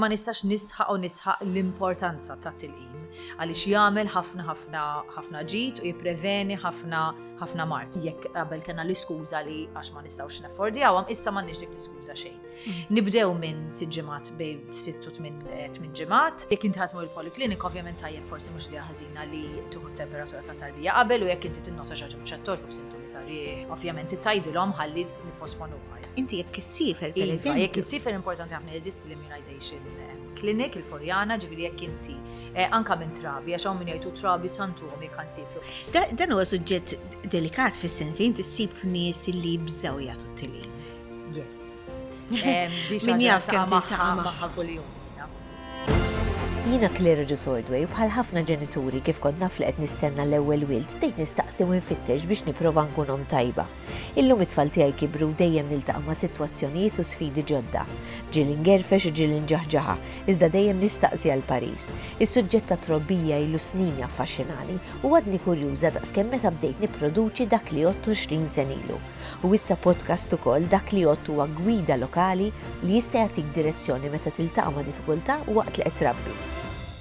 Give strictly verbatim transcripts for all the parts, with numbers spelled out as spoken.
Ma nistax nisħaq u nisħaq l-importanza ta' tilqim għaliex jagħmel ħafna ħafna ħafna ġid u jippreveni ħafna ħafna mard. Jekk qabel kellna l-iskuża li għax ma nistgħux naffordjawhom, issa m'għandniex dik l-iskuża xejn. Nibdew minn sitt ġimgħat, bejn sitt u tmien eh, tmien ġimgħat. Jekk inti ħa tmur il-poliklinik, ovvjament tajjeb, forsi mhux li ħażina li tieħu t-temperatura ta' tarbija qabel u jekk inti tinnota xi ħaġa mhux qed togħġbok, sintomi ta' riħ, ovvjament tgħidilhom ħalli nipposponuha. Inti jekk issiefer, per Iva, eżempju. Jekk issiefer, importanti ħafna, jeżisti l-immunization eh, clinic, il-Furjana, ġifieri jekk inti eh, anka minn trabi, għax hawn min jgħidu trabi santuhom jekk ħa nsifru. Da- Dan huwa suġġett delikat fis-sens li inti ssib nies li jibżgħu jagħtu t-tilqim. Yes. Em, di xi Min ħaġa jaf kemm niltaqa' tiltaqa' magħha magħha kuljum jiena. Jiena Claire Ġusordway u bħal ħafna ġenituri, kif kont naf li qed nistenna l-ewwel wild, bdejt nistaqsi u nfittex biex nipprova nkun omm tajba. Illum it-tfal tiegħi kibru u dejjem niltaqa' ma' sitwazzjonijiet u sfidi ġodda. Ġieli ngerfex u ġieli nġaħġaħa, iżda dejjem nistaqsi għal parir. Is-suġġett ta' trobbija ilu snin jaffaxxinani u għadni kurjuża daqskemm meta bdejt nipproduċi Dak li Jgħodd għoxrin sena ilu. U issa podcast ukoll. Dak li Jgħodd huwa gwida lokali li jista' jagħtik direzzjoni meta tiltaqa' ma' diffikultà waqt li qed trabbi.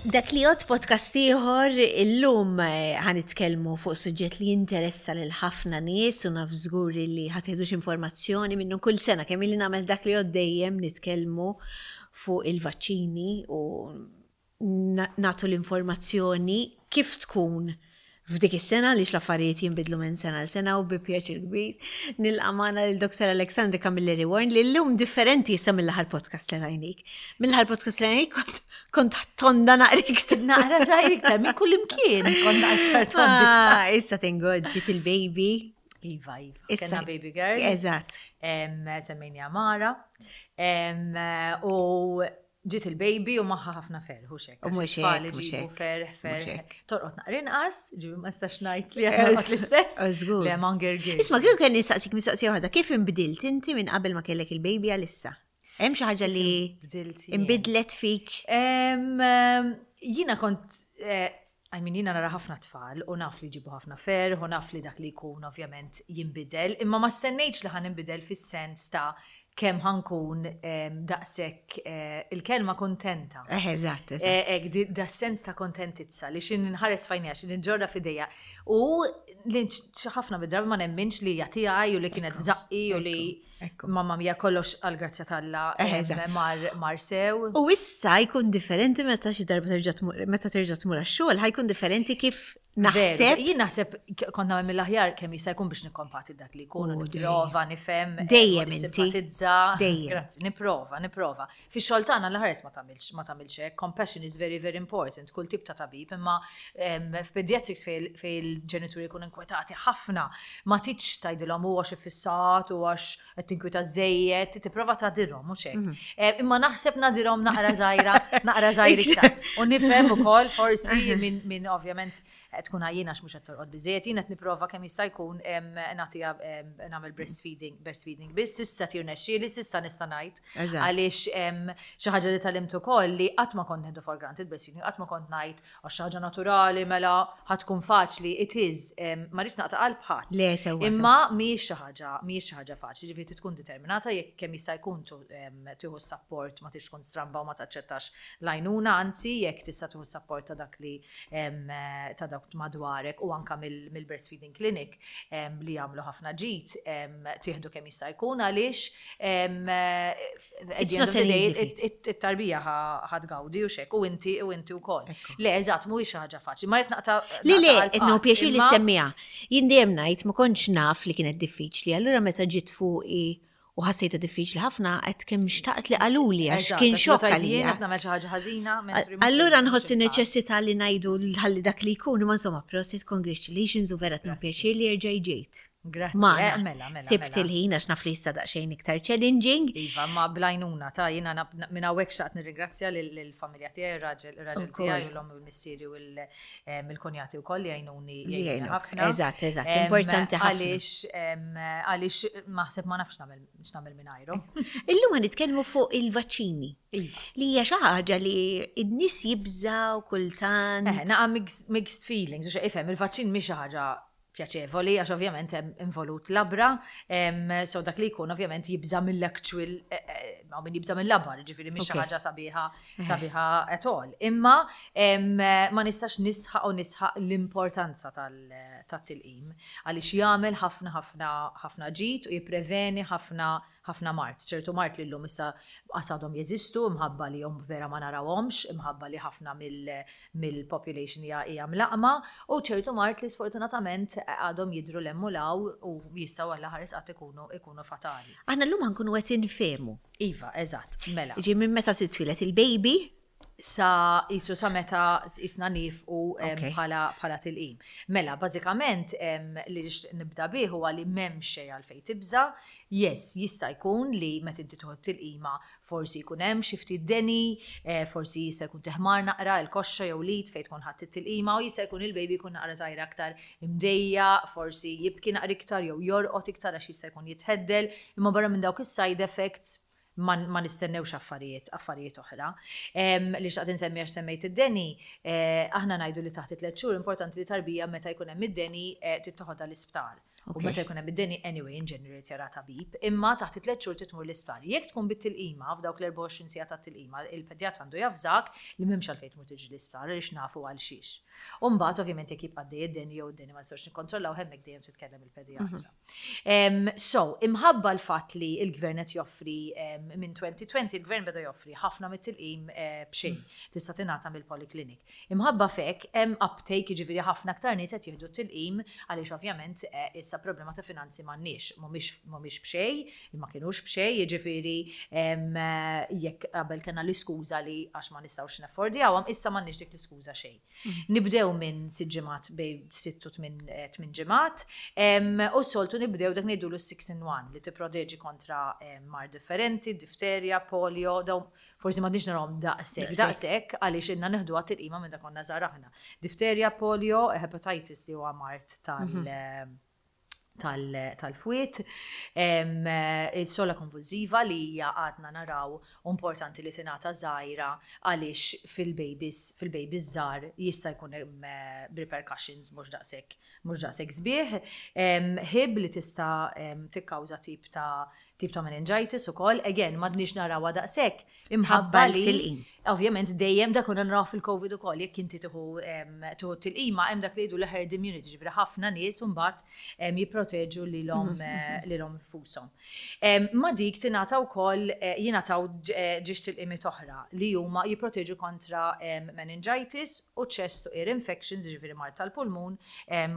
Dak li Jgħodd, podcast ieħor, illum eh, ħa nitkellmu fuq suġġett li jinteressa lil ħafna nies u naf żgur li ħa tieħdux informazzjoni minnu. Kull sena kemm ili nagħmel Dak li Jgħodd dejjem nitkellmu fuq il-vaċċini u na- nagħtu l-informazzjoni kif tkun f'dik is-sena li l-affarijiet jinbidlu minn sena l sena u bi pjaċir kbir nilqa' magħna lil Doktor Alexandra Camilleri Warren, li llum differenti issa mill-aħħar podcast li rajnik. Mill-aħħar podcast li rajnik kont kont tonda naqra iktar. Naqra żgħir iktar minn kull imkien, konna iktar tondi. Ah, issa tingoġ ġiet il-baby. Iva, iva. Issa- Kellna baby girl. Eżatt. Em, Semmejniha Mara. Em, U ġiet il-baby u magħha ħafna ferħ, u xek. U mhux hekk, mhux hekk, Ferħ, mhux ferħ. hekk. Torqod naqra inqas, ġifieri ma nistax ngħid li għadna l-istess. Eh, żgur. Le, ma ngergirx. Isma', kieku kelli nistaqsik mistoqsija waħda, kif inbdilt inti minn qabel ma kellek il-baby għal issa? Hemm xi ħaġa li Bdilt jien? inbidlet fik? Em, em, Jiena kont, eh, I mean, jiena nara ħafna tfal u naf li jġibu ħafna ferħ u naf li dak li jkun ovvjament jinbidel, imma ma stennejtx li ħa ninbidel fis-sens ta' kemm ħa nkun em, daqshekk eh, il-kelma kontenta. Eh, eżatt, eżatt. Eh, Ek, di- da sens ta' kontentizza li x'ħin inħares f'għajnejha, x'ħin inġorrha f'idejja. U li ħafna mid-drabi ma nemminx li jagħtiha u li kienet f'żaqqi u li ekku. mamma mia, kollox għal-grazzja t'Alla Eh, em, eżatt. mar, mar sew. U issa jkun differenti meta xi darba terġa' tmur, meta terġa' tmur għax-xogħol, ħa jkun differenti kif naħseb. Veru, jien naħseb k- kont nagħmel mill-aħjar kemm jista' jkun biex nikkompati dak li jkun, u U nipprova nifhem, eh, Dejjem u inti. nissimpatizza. Dejjem. Grazzi, nipprova, nipprova. Fix-xogħol tagħna l-ħares ma tagħmilx ma tagħmilx hekk. Compassion is very, very important, kull tip ta' tabib, imma em, f'pediatrics fejn fejn il-ġenituri jkunu inkwetati ħafna, ma tridx tgħidilhom u għax iffissat u għax qed tinkwita żejjed, tipprova tagħdirhom mhux hekk. Mhm. Eh, Imma naħseb nagħdirhom naqra żgħira, naqra żgħir iktar. U nifhem ukoll forsi min min ovvjament qed tkun għajjina għax mhux qed torqod biżejjed, jien qed nipprova kemm jista' jkun em, nagħtiha em, nagħmel breastfeeding, breastfeeding biss, s'issa tirnexxieli, s'issa nista' ngħid. Eżatt. Għaliex em, xi ħaġa li tgħallimt ukoll li qatt ma kont nieħdu for granted breastfeeding, qatt ma kont ngħid għax xi ħaġa naturali mela ħa tkun faċli, it is, em, ma rridx naqta' qalb ħadd. Le, sewwa. Imma mhijiex xi ħaġa, mhijiex xi ħaġa faċli, ġifieri tkun determinata, jekk kemm jista' jkun tu- em, tieħu support, ma tix tkun stramba u ma taċċettax l-għajnuna, anzi jekk tista' tieħu support ta' dak li em, ta' dak madwarek u anka mill- mill-breastfeeding clinic em, li jagħmlu ħafna ġid, em, tieħdu kemm jista' jkun għaliex em, at It's the end not of the an day, easy feat. it- it-tarbija ħa tgawdi u xek u inti u inti wkoll. Ekku. Le, eżatt, mhuwiex xi ħaġa faċli. Ma rrid naqta' Li le, naqta' qalb etno ħadd, pjaċir li imma- semmiha. Jien dejjem ngħid ma kontx naf li kienet diffiċli, allura meta ġiet fuqi u ħassejta diffiċli ħafna, qed kemm xtaqt li qaluli għax Eżatt, kien għax xokk meta jien għalija. qed nagħmel xi ħaġa ħażina, mentri mhux Allura mhux nħoss il-każ. neċessità li ngħidu ħalli dak li jkun, imma insomma, prosit, congratulations u vera tnu pjaċir li erġa' ġejt. Grazzi, Magħna. eh, mela, mela, Sibt mela. il-ħin għax naf li issa daqsxejn iktar challenging. Iva, ma bl-għajnuna ta' jiena nab- minn hawnhekk xtaqt nirringrazzja lill-familja tiegħi, ir-raġel ir-raġel Ukoll. tiegħi u l-omm u l-missieri u l-kunjati wkoll li jgħinuni Li jgħinuni jgħinuk. ħafna. Eżatt, eżatt, Em, importanti ħafna. Għaliex em, għaliex maħseb ma nafx nagħmel x'nagħmel mingħajrhom. Illum ħa nitkellmu fuq il-vaċċini. Iva. Li hija xi ħaġa li n-nies jibżaw kultant. Eh, naqa mixed, mixed feelings, u xe ifhem, il-vaċċin mhix xi ħaġa pjaċevoli, għax ovvjament hemm involut labra, em, so dak li jkun ovvjament jibża mill-actual eh, eh, Hawn min jibża mill-labar, ġifieri mhix xi ħaġa sabiħa sabiħa at all. Imma ma nistax nisħaq u nisħaq l-importanza tat-tilqim għaliex jagħmel ħafna ħafna ħafna ġid u jippreveni ħafna ħafna mard. Ċertu mard li llum issa għadhom jeżistu, imħabba li jom vera ma narawhomx, imħabba li ħafna mill-population hija mlaqqma, u ċertu mard li sfortunatament għadhom jidhru 'l hemm u 'l hawn u jistgħu, Alla ħares qatt, ikunu ikunu fatali. Aħna llum ħa nkunu qed infehmu. Iva, eżatt, mela. Ġi minn meta titwieled il-baby sa jisu sa meta jisna nifqu bħala bħala tilqim. Mela, bażikament li nibda bih huwa li m'hemm xejn għalfejn tibża. Yes, jista' jkun li meta inti tieħu tilqima forsi jkun hemm xi ftit deni, eh, forsi jista' jkun teħmar naqra il-koxxa jew l-id fejn tkun ħadd it-tilqima u jista' jkun il-baby jkun naqra żgħira aktar imdejja, forsi jibki naqra iktar jew jorqod iktar għax jista' jkun jitħeddel, imma barra minn dawk is-side effects ma, ma nistennewx affarijiet affarijiet oħra. Li xtaqt insemmi għax semmejt id-deni, eh, aħna ngħidu li taħt it-tliet xhur importanti li tarbija meta jkun hemm id-deni eh, tittoħodha l-isptar. U meta jkun hemm id-deni anyway in general jara tabib, imma taħt it-tliet xhur titmur l-isptar. Jekk tkun bit-tilqima f'dawk l-erbgħa u għoxrin siegħa tat-tilqima, il-pedjatra għandu javżak li m'hemmx għalfejn tmur tiġi l-isptar għaliex nafu għal xiex. U mbagħad ovvjament jekk jibqa' id-deni jew id-deni ma nistgħux nikkontrollaw, hemmhekk dejjem titkellem il-pedjatra. So, imħabba l-fatt li il-gvern qed joffri, minn elfejn u għoxrin il-gvern beda joffri ħafna mit-tilqim eh, b'xejn tista' tingħata mill-polyclinic. Imħabba fek hemm uptake, jiġifieri ħafna aktar nies qed jieħdu tilqim għaliex ovvjament eh, issa problema ta' finanzi m'għandniex, mhumiex b'xejn, ma kienux b'xejn, jiġifieri eh, jekk qabel kellna l-iskuża li għax ma nistgħux naffordjawhom, issa m'għandniex dik l-iskuża xejn. Mhm. Nibdew minn sitt ġimgħat, bejn sitt u tmien ġimgħat, u soltu nibdew dak ngħidulu six in one li tipproteġi kontra mard differenti, difterja, polio, daw forsi m'għadniex narawhom daqshekk, daqshekk għaliex ilna nieħdu għat-tilqima minn dak konna żgħar aħna. Difterja, polio, hepatitis li huwa mard tal- mhm. tal-fwied, il-sola konvulsiva li hija għadna naraw importanti li tingħata żgħira għaliex fil-babies fil-babies żgħar jista' jkun hemm eh, repercussions mhux daqshekk mhux daqshekk sbieħ. Hib li tista' tikkawża tip ta' tip ta' meningitis ukoll, again m'għadniex narawha daqshekk imħabba li ovvjament dejjem dak konna naraw fil-Covid ukoll, jekk inti tieħu tieħu tilqima hemm dak li jgħidu l-herd immunity, ġifieri ħafna nies mbagħad jipproteġu lilhom mhm, mhm. lilhom infushom. Ma dik tingħata wkoll eh, jingħataw eh, żewġ tilqimiet oħra li huma jipproteġu kontra meningitis u chest u ear infections, ġifieri mard tal-pulmun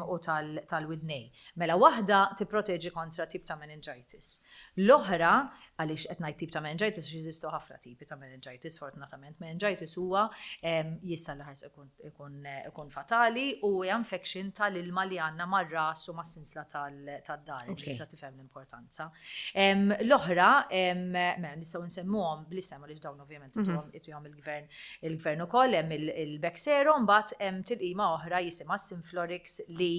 u tal-widnej. Mela waħda tipproteġi kontra tip ta' meningitis. L-oħra, għaliex qed ngħid tip ta' meningitis għax jeżistu ħafna tipi ta' meningitis, fortunatament meningitis huwa jista' l-ħars ikun ikun fatali u hija infection tal-ilma li għandna mar-ras u mas-sinsla tad-dahar, tista' tifhem l-importanza. L-oħra, mela nistgħu nsemmuhom bl-isem għaliex dawn ovvjament mhm. itihom il-gvern il-gvern ukoll, hemm il-Bexsero, mbagħad hemm tilqima oħra jisimha Synflorix li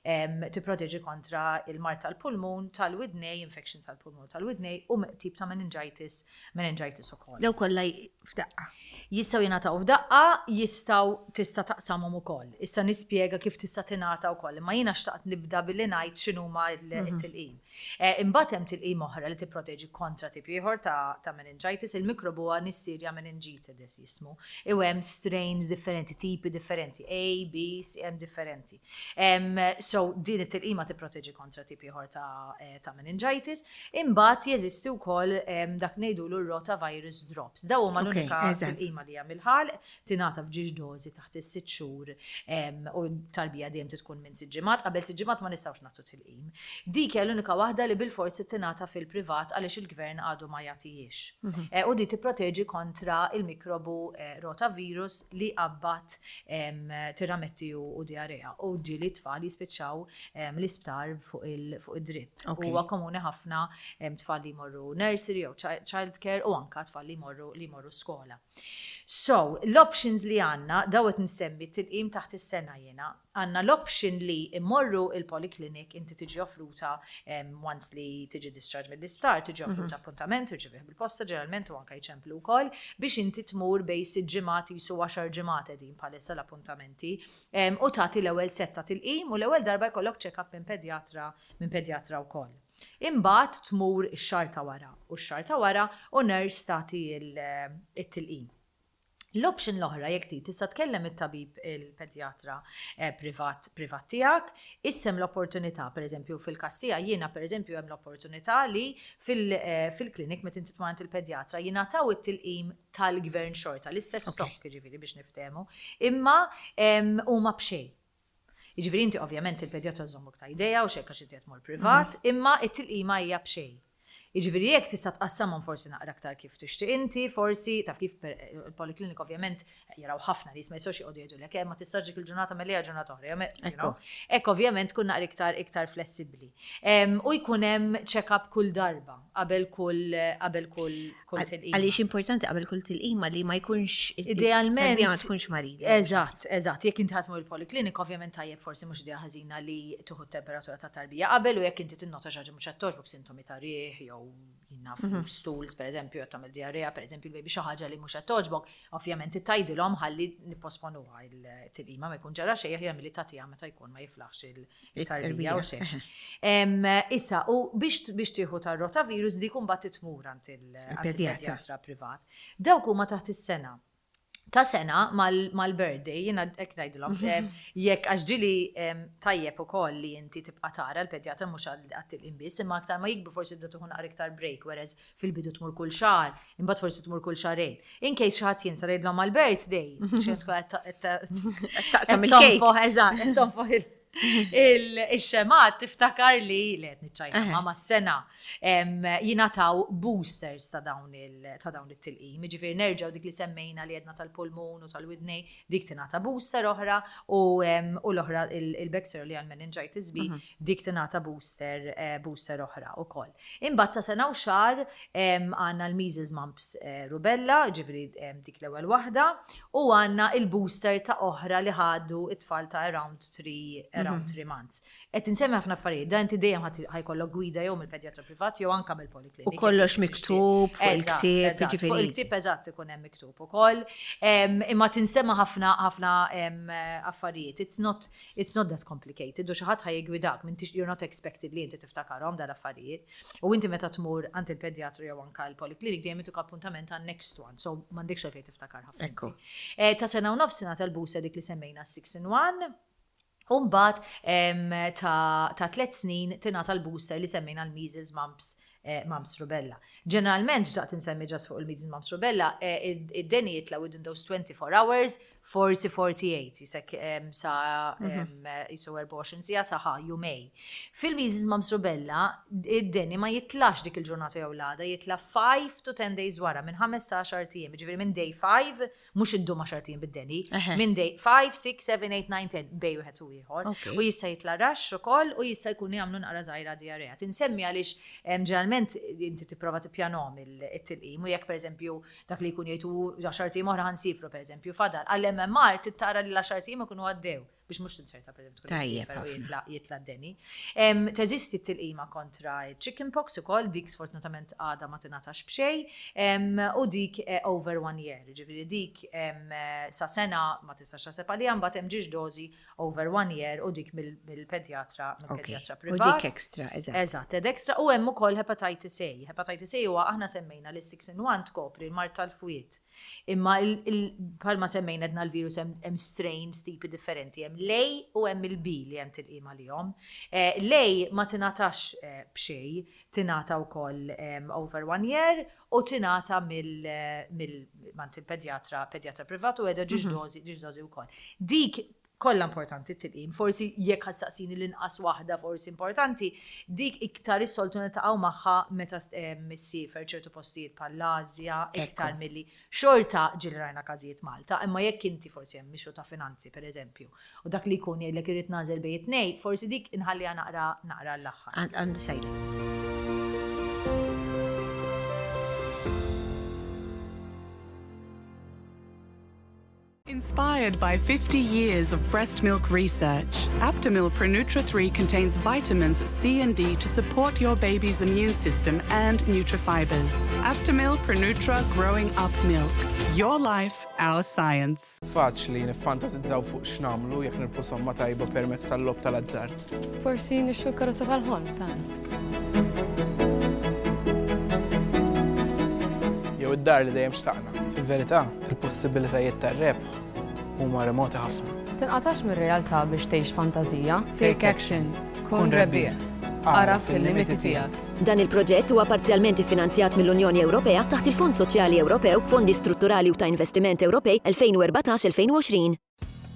tipproteġi kontra il-mard tal-pulmun, tal-widnej, infection tal-pulmun tal-widnej u tip ta' meningitis, meningitis ukoll. Daw kollha f'daqqa? Jistgħu jingħataw f'daqqa, jistgħu tista' taqsamhom ukoll. Issa nispjega kif tista' tingħata wkoll, imma jiena xtaqt nibda billi ngħid x'inhuma l-tilqim. Eh, imbagħad hemm tilqim oħra li tipproteġi kontra tip ieħor ta' meningitis, il-mikrobu huwa Neisseria meningitidis jismu. U hemm strains differenti, tipi differenti, A, B, C, hemm differenti. So din it-tilqima tipproteġi kontra tip ieħor ta' eh, meningitis. Imbagħad jeżisti wkoll dak ngħidulu rotavirus drops. Daw huma l-unika tilqima li hemm il-ħalq, tingħata f'żewġ dożi taħt is-sitt xhur u tarbija dejjem tkun minn sitt ġimgħat, qabel sitt ġimgħat ma nistgħux nagħtu tilqim. Dik hija l-unika waħda li bil-forsi tingħata fil-privat għaliex il-gvern għadu ma jagħtihiex. Mhm. Eh, u di tipproteġi kontra il-mikrobu eh, rotavirus li qabbat tirametti u diarrea. U ġieli tfal jispiċċaw l-isptar fuq id-drip. Huwa komuni ħafna tfal li jmorru nursery jew child care u anka tfal li jmorru li jmorru skola. So, l-options li għandna, daw qed nsemmi tilqim taħt is-sena jena, għandna l-option li immorru il-polyclinic, inti tiġi offruta um, once li tiġi discharge mill-isptar, tiġi offruta mm -hmm. appuntament, tirċevih bil-posta ġeneralment u anka jċemplu wkoll biex inti tmur bejn sitt ġimgħat jisu għaxar ġimgħat qegħdin bħalissa l-appuntamenti um, u tagħti l-ewwel setta tilqim u l-ewwel darba jkollok check-up minn pedjatra minn pedjatra wkoll. Imbagħad tmur ix-xahar ta' wara u x-xahar ta' wara u nurse tagħti il-tilqim. L-option l-oħra jekk trid tista' tkellem it-tabib il-pedjatra eh, privat privat tiegħek, issa hemm l-opportunità, pereżempju fil-każ tiegħi jiena pereżempju hemm l-opportunità li eh, fil-klinik meta inti tmur il-pedjatra jingħataw it-tilqim tal-gvern xorta, l-istess stock jiġifieri biex niftehmu, imma huma b'xejn. Jiġifieri inti ovvjament il-pedjatra żommok ta' idea u xekka xi tmur privat, mhm. imma it-tilqima hija b'xejn. Jiġifieri jekk tista' tqassamhom forsi naqra aktar kif tixtieq inti, forsi taf kif il-poliklinik ovvjament jaraw ħafna li ma jistgħux joqogħdu jgħidulek eh, ma tistax dik il-ġurnata melija ġurnata oħra. Ekk ovvjament tkun naqra iktar iktar flessibbli. U jkun hemm check-up kull darba qabel kull qabel kull kull tilqima. Għaliex importanti qabel kull tilqima li ma jkunx idealment ma tkunx marida. Eżatt, eżatt. Jekk inti ħa tmur il-poliklinik ovvjament tajjeb forsi mhux idea ħażina li tieħu temperatura ta' tarbija qabel u jekk inti tinnota xi ħaġa mhux qed togħġbok sintomi ta' riħ jew jiena naf mhm. stools per eżempju, jew tagħmel diarrea, per eżempju, il-baby xi ħaġa li mhux qed togħġbok, ovvjament tgħidilhom ħalli nipposponuha il-tilqima ma jkun ġara xejn aħjar milli tagħtiha meta jkun ma jiflaħx il-tarbija u xejn. Issa, u biex biex tieħu tar-rotavirus dik imbagħad tmur għand il-pedjatra privat. Dawk huma taħt is-sena ta' sena mal-birthday, jiena hekk ngħidilhom, jekk għax ġieli tajjeb ukoll li inti tibqa' tara l-pedjatra mhux għat-tilqim biss, imma aktar ma jikbru forsi tibda tieħu naqra iktar break, whereas fil-bidu tmur kull xahar, imbagħad forsi tmur kull xahrejn. In case xi ħadd jinsa jgħidlhom mal-birthday, xi taqsam il-kejk. Eżatt, tonfoħ il-xemgħat tiftakar li li qed niċċajta ma ma sena jingħataw boosters ta' dawn il-tilqim. Jiġifieri nerġgħu dik li semmejna li jedna tal-pulmun u tal-widnej, dik tingħata booster oħra u l-oħra il-Bexsero li għal-meningitis B, mhm. dik tingħata booster eh, booster oħra ukoll. Imbagħad ta' sena u xahar għandna l-measles mumps eh, rubella, ġifieri dik l-ewwel waħda, u għandna il-booster ta' oħra li ħadu it-tfal ta' around three around mhm. three months. Qed insemmi ħafna affarijiet, da inti dejjem ħa jkollok gwida jew mill-pedjatra privat jew anka mill-poliklinik. U kollox miktub fuq il-ktieb, jiġifieri. Fuq il-ktieb eżatt ikun hemm miktub ukoll. Imma tinstema' ħafna ħafna affarijiet. It's not it's not that complicated. U xi ħadd ħa jiggwidak, you're not expected li inti tiftakarhom dal-affarijiet. U inti meta tmur għand il-pedjatru jew anka l-poliklinik dejjem ituk appuntament għan next one, so m'għandekx għalfejn tiftakar ħafna. Eh, ta' sena u nofs tal booster dik li semmejna six in one. Umbagħad ta', ta tliet snin tingħata l-booster li semmejna l-measles, mumps, eh, mumps rubella. Ġeneralment, ġdaqt insemmi ġas fuq il-measles, mumps rubella, eh, id-deni jitla within those twenty-four hours, forty, forty-eight, jisek sa mhm. jisu erbgħa u għoxrin siegħa saħa jumejn. Fil-measles, mumps rubella, id-deni ma jitlax dik il-ġurnata jew l-għada, jitla five to ten days wara, minn ħames sa għaxart ijiem, ġifieri minn day five, mhux iddum għaxart ijiem bid-deni, minn day five, six, seven, eight, nine, ten, bejn wieħed u ieħor. U jista' jitla rash ukoll u jista' jkun jagħmlu naqra żgħira diarrea. Tinsemmi għaliex ġeneralment inti tipprova tippjanhom it-tilqim u jekk pereżempju dak li jkun jgħidu għaxart ijiem oħra ħa nsifru pereżempju fadal. Għall-M M R tittara li l-għaxart ijiem ikunu għaddew biex mhux tinserta pereżempju tkun Tajjeb u ħafna. jitla d-deni. Teżisti t-tilqima kontra chickenpox ukoll, dik sfortunatament għada ma tingħatax b'xejn, u dik eh, over one year, ġifieri dik em, sa sena ma tistax taħseb għaliha, mbagħad hemm żewġ dozi over one year u dik mill-pedjatra mill-pedjatra U privat. dik extra, eżatt. Eżatt, ed extra u hemm ukoll hepatitis A. Hepatitis A huwa aħna semmejna li six in one tkopri l-mard tal-fwied. Imma bħalma semmejna edna l-virus hemm strains tipi differenti, hemm l-A u hemm il-B li hemm tilqima lihom. Eh, L-A ma tingħatax eh, b'xejn, tingħata wkoll over one year u tingħata mill il-pedjatra pedjatra privat u qiegħda żewġ mhm. dozi, żewġ dozi wkoll. Dik kollha importanti t-tilqim, forsi jekk ħa ssaqsini l-inqas waħda forsi importanti, dik iktar is-soltu niltaqgħu magħha meta ssiefer ċertu postijiet bħall-Asja, iktar milli xorta ġieli rajna każijiet Malta, imma jekk inti forsi hemm issue ta' finanzi pereżempju, u dak li jkun jgħidlek irrid nagħżel bejn it-tnejn, forsi dik inħalliha naqra naqra l-aħħar. Għandi sajla. Inspired by fifty years of breast milk research, Aptamil Pronutra three contains vitamins C and D to support your baby's immune system and nutrifibers. Aptamil Pronutra Growing Up Milk. Your life, our science. Faċli niffantasizzaw fuq x'nagħmlu jekk nirbħu somma tajba permezz tal-logħob tal-azzard. Forsi nixtru karozza tal-ħolm tagħna. jew id-dar li dejjem xtaqna. Fil-verità, il-possibilitajiet tar-rebħ huma remoti ħafna. Tinqatax mir-realtà biex tgħix fantażija. Take action. Kun rebbieħ. Agħraf il-limiti tiegħek. Dan il-proġett huwa parzjalment iffinanzjat mill-Unjoni Ewropea taħt il-Fond Soċjali Ewropew, Fondi Strutturali u ta' Investiment Ewropej elfejn u erbatax-elfejn u għoxrin.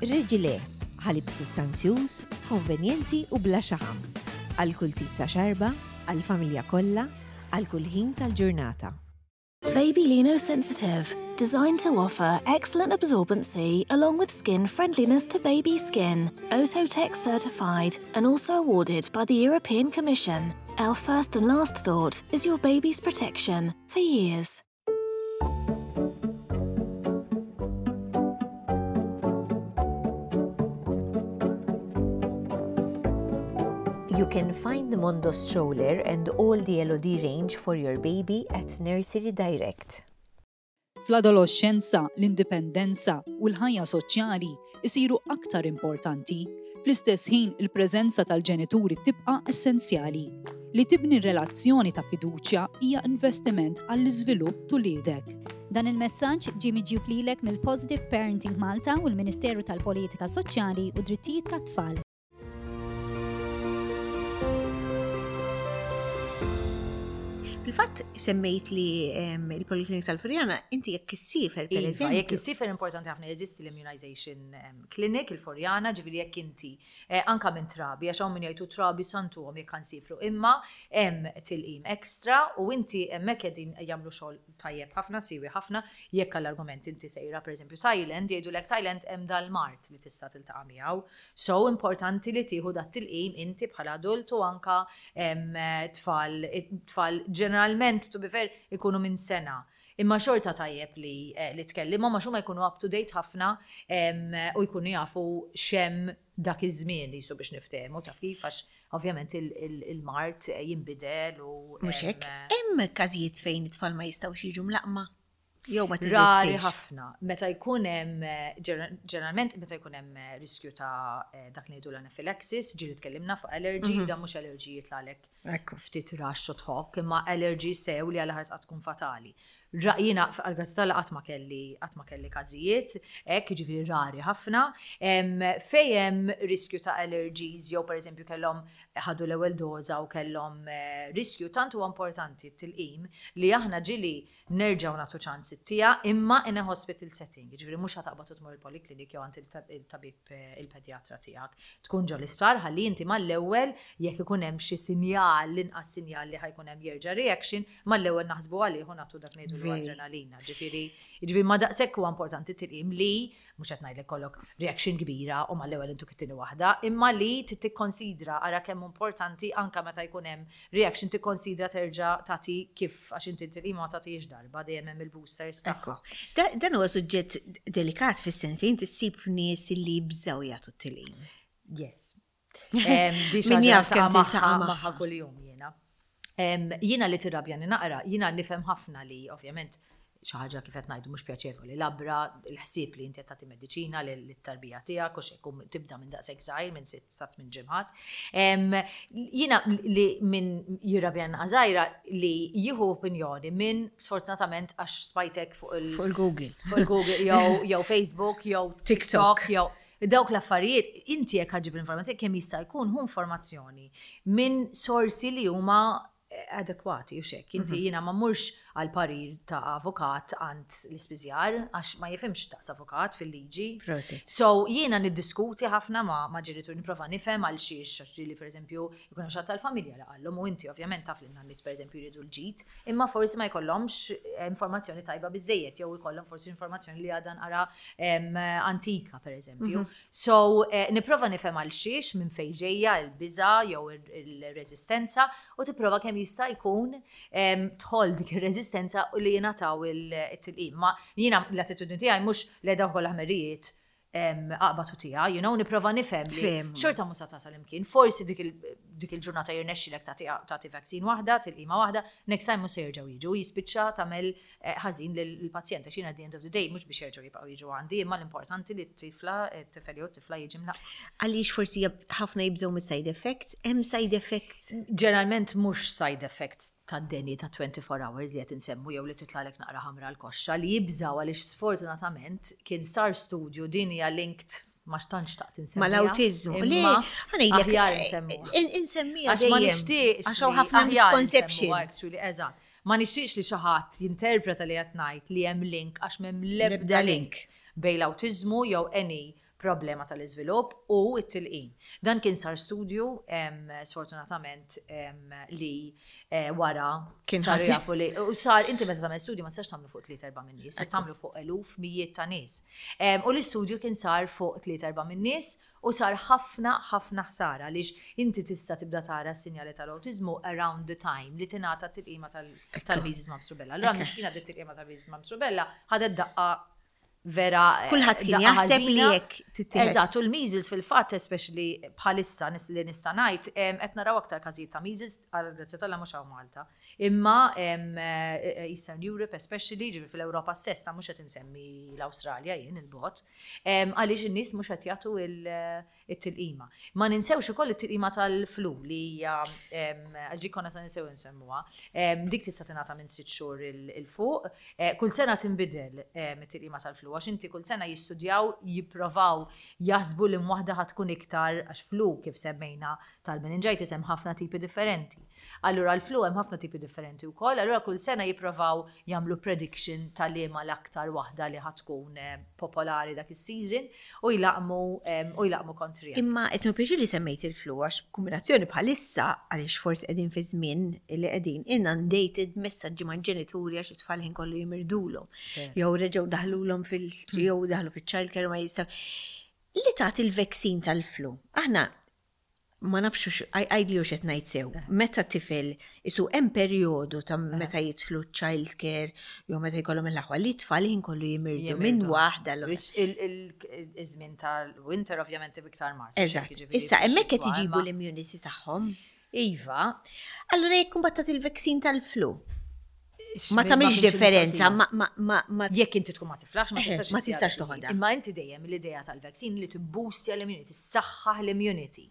Reġile, ħalib sustanzjuż, konvenjenti u bla xaħam. Għal kull tip ta' xarba, għal familja kollha, għal kull ħin tal-ġurnata. Baby Lino Sensitive, designed to offer excellent absorbency along with skin friendliness to baby skin. Oeko-Tex certified and also awarded by the European Commission. Our first and last thought is your baby's protection for years. You can find the Mondo stroller and all the L O D range for your baby at Nursery Direct. Fl-adolescenza, l-indipendenza u l-ħajja soċjali isiru aktar importanti. Fl-istess ħin, il-preżenza tal-ġenituri tibqa' essenzjali. Li tibni relazzjoni ta' fiduċja hija investiment għall-iżvilupp t'uliedek. Dan il-messaġġ ġie miġjub lilek mill-Positive Parenting Malta u l-Ministeru tal-Politika Soċjali u Drittijiet tat-Tfal. Fil-fatt semmejt li em, il-Poliklinik tal-Furjana, inti jekk issiefer per Iva, eżempju. Jekk issiefer, importanti ħafna, jeżisti l-Immunization em, Clinic, il-Furjana, ġifieri jekk inti eh, anka minn trabi, għax hawn min jgħidu trabi santuhom jekk nsifru, imma hemm tilqim ekstra u inti hemmhekk qegħdin jagħmlu xogħol tajjeb ħafna, siwi ħafna. Jekk għall-argument inti sejra pereżempju Thailand, jgħidulek Thailand hemm dal-mard li tista' tiltaqa' miegħu. So importanti li tieħu dat tilqim inti bħala adult u anka em, tfal, tfal ġeneralment, to be fair, ikunu minn sena. Imma xorta tajjeb li, eh, li tkellimhom għax huma jkunu up to date ħafna em, u jkunu jafu x'hemm dak iż-żmien li jisu biex niftehmu, taf kif, għax ovvjament il-mard jinbidel u Mhux em, hekk, hemm każijiet fejn it-tfal ma jistgħux jiġu mlaqqma. Jew ma Rari teżistix. ħafna. Meta jkun hemm eh, ġener- ġeneralment meta jkun hemm eh, riskju ta' eh, dak li ngħidu l-anaphylaxis, ġieli tkellimna fuq allergy, dan mhux allergy jitlagħlek Ekku. ftit rash u tħokk, imma allergy sew li għal ħars tkun fatali. Ra- Jiena għal tal qatt ma kelli qatt ma kelli każijiet, hekk, jiġifieri rari ħafna. Em, Fejn hemm riskju ta' allergies jew pereżempju kellhom ħadu l-ewwel doża u kellhom eh, riskju, tant huwa importanti t-tilqim li aħna ġieli nerġgħu nagħtu ċans it-tija imma in a hospital setting. Jiġifieri mhux ħa taqbad u tmur il-poliklinik jew għand il-tabib eh, il-pedjatra tiegħek. Tkun ġo l-isptar ħalli inti mal-ewwel jekk ikun hemm xi sinjal, l-inqas sinjal li ħa jkun hemm jerġa' reaction, mal-ewwel naħsbu għalih u nagħtu dak ngħidu Veri. adrenalina. Ġifieri, ġifieri ma daqshekk huwa importanti tilqim li mhux qed ngħidlek kollok reaction kbira u mal-ewwel intuk it-tieni waħda, imma li tikkonsidra, ara kemm importanti, anka meta jkun hemm reaction tikkonsidra terġa' tagħti kif, għax inti tilqim ma tagħtix darba, dejjem hemm il-boosters Ekku. tagħha. Da- Dan huwa suġġett delikat fis-sens li inti ssib nies li jibżgħu jagħtu t-tilqim. Yes. Em, di xi Min ħaġa jaf kemm niltaqa' tiltaqa' magħha magħha. kuljum jiena. Em, Jiena li tirrabjani naqra, jiena nifhem ħafna li ovvjament xi ħaġa kif qed ngħidu mhux pjaċevoli, labra il-ħsieb li inti qed tagħti mediċina lit-tarbija tiegħek u xejn tibda minn daqshekk żgħir, minn sitt sa tmien ġimgħat. Em, Jiena li min jirrabjan żgħira li jieħu opinjoni minn, sfortunatament għax spajtek fuq il- Fuq il-Google. Fuq il-Google jew jew Facebook jew TikTok. TikTok jew dawk l-affarijiet, inti jekk ħa ġġib l-informazzjoni, kemm jista' jkun hu informazzjoni minn sorsi li huma eh, adekwati u xek. Inti jiena ma murx għal parir ta' avukat għand l-ispiżjar għax ma jifhimx daqs avukat fil-liġi. Prosit. So jiena niddiskuti ħafna ma, ma ġenitur, nipprova nifhem għal xiex, għax ġieli pereżempju jkun hemm xi ħadd tal-familja li qallhom u inti ovvjament taf li n-nanniet pereżempju jridu l-ġid, imma forsi ma jkollhomx eh, informazzjoni tajba biżejjed jew jkollhom forsi informazzjoni li għadha naqra em, antika pereżempju. So eh, nipprova nifhem għal xiex, minn fejn ġejja l-biża jew il-reżistenza u tipprova kemm jista' jkun em, tħoll dik ir-reżistenza u li jingħataw il-tilqim. Ma jiena l-attitudni tiegħi mhux li dawk kollha ħmerijiet aqbad u tija, you know, nipprova nifhem li Tfhem. xorta mhux sa tasal imkien. Forsi dik il- dik il-ġurnata jirnexxilek tagħti tagħti vaccine waħda, tilqima waħda, next time mhux se jerġgħu jiġu, jispiċċa tagħmel eh, ħażin lill-pazjent għax jiena at the end of the day mhux biex jerġgħu jibqgħu jiġu għandi, imma l-importanti li t-tifla, t-tifel jew t-tifla jiġi mlaqqam. Għaliex forsi jab- ħafna jibżgħu mis-side effects, hemm side effects. Ġeneralment mhux side effects tad-deni ta' twenty-four hours li qed insemmu jew li titlalek naqra ħamra l-koxxa li jibżaw għaliex sfortunatament kien sar studju, din hija linked ma xtantx taqt insemmiha. Mal-awtiżmu. Le, Imma ħa ngħidlek, aħjar insemmuha. in- Insemmija Għax ma dejjem. nixtieqx. Għax hawn li ħafna aħjar misconception. insemmuha, actually, eżatt. Ma nixtieqx li xi ħadd jinterpreta li qed ngħid li hemm link, għax m'hemm L-ebda l-ebda link. link bejn l-awtiżmu jew any problema tal-iżvilupp u t-tilqim. Dan kien sar studju, em, sfortunatament, em, li eh, wara Kien saru ħażin. jafu li u sar, inti meta tagħmel studju ma tistax tagħmlu fuq tliet erba' minn nies, se tagħmlu fuq eluf, mijiet ta' nies. Em, U l-istudju kien sar fuq tliet erba' minn nies u sar ħafna ħafna ħsara għaliex inti tista' tibda tara s-sinjali tal-awtiżmu around the time li tingħata t-tilqima tal- tal-measles mumps rubella. Allura Ekku. miskina dit tilqima tal-measles mumps rubella ħadet daqqa vera, eh, Kulħadd kien daqqa jaħseb li ħażina. jekk tittieħed. Eżatt, u l-measles fil-fatt, especially bħalissa nis- li nista' ngħid, em, qed naraw aktar każijiet ta' measles, għal grazzja t'Alla mhux hawn Malta. Imma em, eh, Eastern Europe especially, ġifieri fil-Ewropa stess, ta' mhux qed insemmi l-Awstralja jien il-bot, em, għaliex in-nies mhux qed jagħtu il- it-tilqima. Ma ninsewx ukoll it-tilqima tal-flu li hija em, ġi konna sa ninsew insemmuha. Em, Dik tista' tingħata minn sitt xhur 'il 'il fuq. Eh, Kull sena tinbidel em, it-tilqima tal-flu għax inti kull sena jistudjaw, jipprovaw jaħsbu li waħda ħa tkun iktar, għax flu kif semmejna tal-meningitis hemm ħafna tipi differenti. Allura l-flu hemm ħafna tipi differenti wkoll, allura kull sena jipprovaw jagħmlu prediction tal-liema l-aktar waħda li ħa tkun eh, popolari dak is-season u jlaqmu em, u jlaqmu kontrija. Imma qed pjaċir li semmejt il-flu għax kombinazzjoni bħalissa, għaliex forsi qegħdin fi żmien li qegħdin inundated messaġġi ma' ġenituri għax it-tfal ħin kollu jimirdulhom. Jew reġgħu daħlulhom fil jew daħlu fiċ-child care ma jistgħu. Li tagħti il-vaccine tal-flu. Aħna ma nafx, għidli hux qed ngħid sew. Meta tifel isu hemm perjodu ta' meta jidħlu child care jew meta jkollhom il-aħwa li tfal ħin kollu jimirdu minn Jimirdu. waħda l Which il- il- Iż-żmien tal-winter ovvjament iktar mard. Eżatt. Issa hemmhekk qed iġibu l-immunity tagħhom. Iva. Allura jekk imbagħad tagħti il-vaccine tal-flu. Ma tagħmilx differenza, ma ma ma ma Jekk inti tkun ma tiflax, ma Eh, tistax ma tistax tagħti. toħodha. Imma inti dejjem l-idea tal-vaccine li tibboostja l-immunity, tissaħħaħ l-immunity.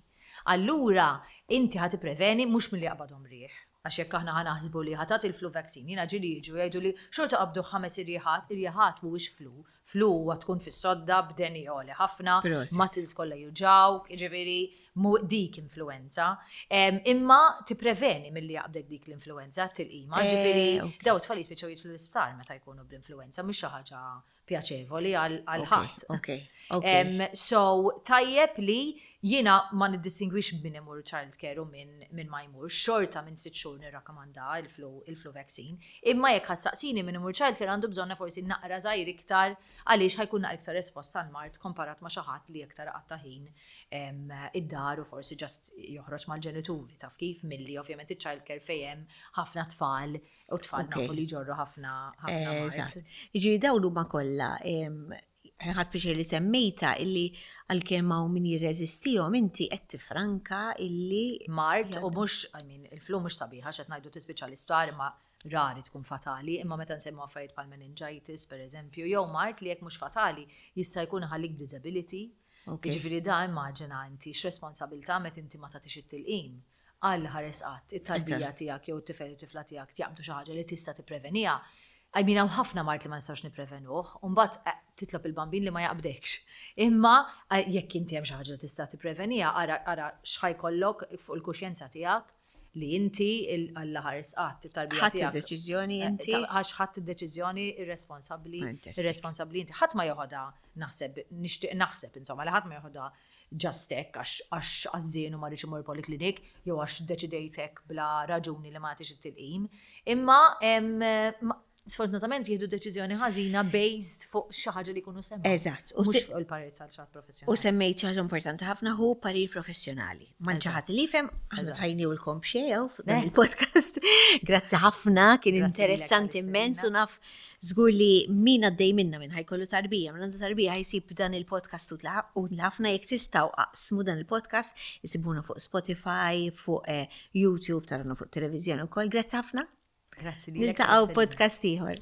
Allura inti ħa tippreveni mhux milli jaqbadhom riħ. Għax jekk aħna ħa naħsbu li ħa tagħti il-flu vaccine, jiena ġieli jiġu jgħidu li xorta qabdu ħames irjiħat, irjiħat mhuwiex flu. Flu huwa tkun fis-sodda b'deni għoli ħafna, Prosit. muscles kollha juġgħuk, jiġifieri mu dik influenza. Em, Imma tippreveni milli jaqbdek dik l-influenza tilqima, Eh, ġifieri ok. daw tfal jispiċċaw jidħlu l-isptar meta jkunu bl-influenza, mhux xi ħaġa pjaċevoli għal għal ħadd. Ok, ok. Em, so, tajjeb li jiena ma niddistingwix min imur child care u min, min ma jmur. Xorta minn sitt xhur nirrakkomanda il-flu, il-flu vaccine. Imma jekk ħa ssaqsini, min imur child care għandu bżonna forsi naqra żgħir iktar għaliex ħa jkun naqra iktar espost għal mard komparat ma' xi ħadd li iktar qatta ħin em, id-dar u forsi just joħroġ mal-ġenituri, taf kif, milli ovvjament il-child care fejn hemm ħafna tfal u tfal Ok. nafu li jġorru ħafna ħafna mard. Eżatt. Jiġifieri dawn huma kollha, em, ħadt pjaċir li semmejta illi għalkemm hawn min jirreżistihom, inti qed tifranka illi mard u mhux, I mean, il-flu mhux sabiħa x'qed ngħidu tispiċċa l-isptar, imma rari tkun fatali, imma meta nsemmu affarijiet bħal meningitis pereżempju, jew mard li jekk mhux fatali jista' jkun ħallik disability. Ok. Jiġifieri da immaġina inti x'responsabilità meta inti ma tagħtix it-tilqim għal ħares qatt it-tarbija Ok. tiegħek jew it-tifel u tifla tiegħek jaqbdu xi ħaġa li tista' tippreveniha. I mean, hawn ħafna mard li ma nistgħux nipprevenuh, u mbagħad eh, titlob il-bambin li ma jaqbdekx. Imma eh, jekk inti hemm xi ħaġa li tista' tippreveniha, ara ara x'ħa jkollok fuq il-kuxjenza tiegħek li inti Alla ħares qatt it-tarbija ħadd tiegħek. id-deċiżjoni Eh, inti. ta- Għax ħadd id-deċiżjoni irresponsabbli, Fantastic. irresponsabbli inti. Ħadd ma joħodha, naħseb, nixtieq naħseb insomma, li ħadd ma joħodha just hekk għax għax għażżien u ma rridx imur poliklinik jew għax deċidejt hekk bla raġuni li ma nagħtix it-tilqim. Imma em, ma- sfortunatament jieħdu deċiżjoni ħażina based fuq xi ħaġa li jkunu semgħu. Eżatt. U Mhux ti- fuq il-parir tal-xi ħadd U professjonali. semmejt xi ħaġa importanti ħafna, hu parir professjonali. Man xi ħadd li jifhem, aħna Eżatt. tajnielkom xejn fuq dan Eh. il-podcast. Grazzi ħafna, kien Grazzi lilek interessanti għall-istedina. immens u naf żgur li min għaddej minna, minn ħa jkollu tarbija, minn għandu tarbija, ħa jsib dan il-podcast u ħafna. Jekk tistgħu aqsmu dan il-podcast, isibuna fuq Spotify, fuq eh, YouTube, tarawna fuq televiżjoni wkoll. Grazzi ħafna. Grazzi lilek Niltaqgħu għall-istedina. podcast ieħor.